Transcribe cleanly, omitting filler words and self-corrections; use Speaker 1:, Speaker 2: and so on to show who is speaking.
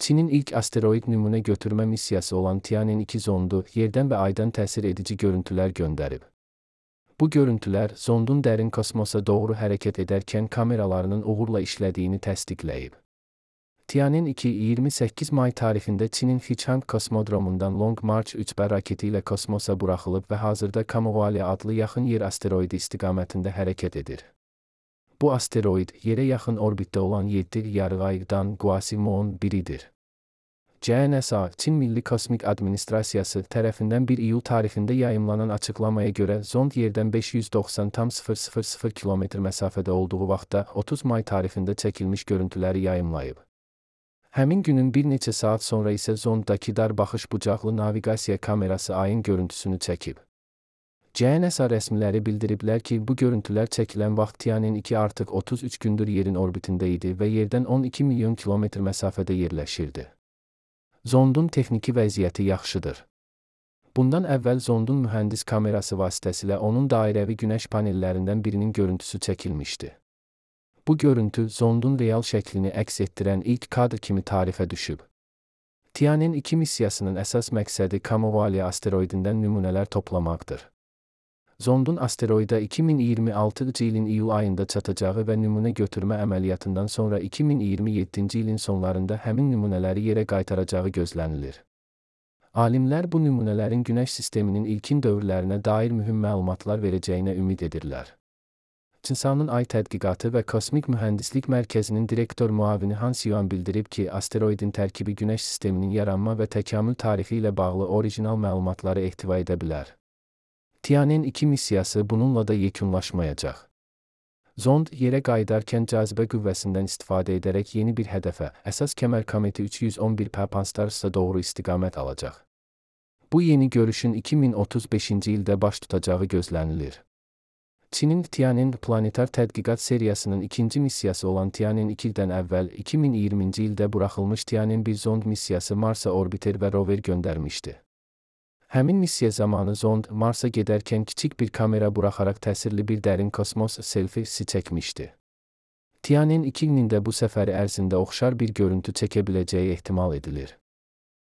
Speaker 1: Çinin ilk asteroid nümunə götürmə missiyası olan Tianwen-2 zondu yerdən və aydan təsir edici görüntülər göndərib. Bu görüntülər, zondun dərin kosmosa doğru hərəkət edərkən kameralarının uğurla işlədiyini təsdiqləyib. Tianwen-2 28 may tarixində Çinin Xichang kosmodromundan Long March 3B raketi ilə kosmosa buraxılıb və hazırda Kamovalya adlı yaxın yer asteroidi istiqamətində hərəkət edir. Bu asteroid, yerə yaxın orbitdə olan 7 yarıaydan Guasimon biridir. CNSA, Çin Milli Kosmik Administrasiyası tərəfindən 1 iyul tarixində yayımlanan açıqlamaya görə zond yerdən 590,000 km məsafədə olduğu vaxtda 30 may tarixində çəkilmiş görüntüləri yayımlayıb. Həmin günün bir neçə saat sonra isə zonddakı dar baxış bucaqlı naviqasiya kamerası ayın görüntüsünü çəkib. CNSA rəsmiləri bildiriblər ki, bu görüntülər çəkilən vaxt Tianwen-2 artıq 33 gündür yerin orbitində idi və yerdən 12 milyon kilometr məsafədə yerləşirdi. Zondun texniki vəziyyəti yaxşıdır. Bundan əvvəl zondun mühəndis kamerası vasitəsilə onun dairəvi günəş panellərindən birinin görüntüsü çəkilmişdi. Bu görüntü, zondun real şəklini əks etdirən ilk kadr kimi tarixə düşüb. Tianwen-2 missiyasının əsas məqsədi Kamovalya asteroidindən nümunələr toplamaqdır. Zondun asteroida 2026-cı ilin iyul ayında çatacağı və nümunə götürmə əməliyyatından sonra 2027-ci ilin sonlarında həmin nümunələri yerə qaytaracağı gözlənilir. Alimlər bu nümunələrin Günəş sisteminin ilkin dövrlərinə dair mühüm məlumatlar verəcəyinə ümid edirlər. CNSA-nın Ay Tədqiqatı və Kosmik Mühəndislik Mərkəzinin direktor müavini Hans Yuan bildirib ki, asteroidin tərkibi Günəş sisteminin yaranma və təkamül tarixi ilə bağlı orijinal məlumatları ehtiva edə bilər. Tianwen-2 missiyası bununla da yekunlaşmayacaq. Zond, yerə qayıdarkən cazibə qüvvəsindən istifadə edərək yeni bir hədəfə, əsas kəmər kometi 311P Pan-STARRS'a doğru istiqamət alacaq. Bu yeni görüşün 2035-ci ildə baş tutacağı gözlənilir. Çinin Tianwen planetar tədqiqat seriyasının ikinci missiyası olan Tianwen-2-dən əvvəl 2020-ci ildə buraxılmış Tianwen-1 zond missiyası Marsa orbiter və rover göndərmişdi. Həmin missiya zamanı zond, Marsa gedərkən kiçik bir kamera buraxaraq təsirli bir dərin kosmos selfisi çəkmişdi. Tianwen-2-nin də bu səfəri ərzində oxşar bir görüntü çəkə biləcəyi ehtimal edilir.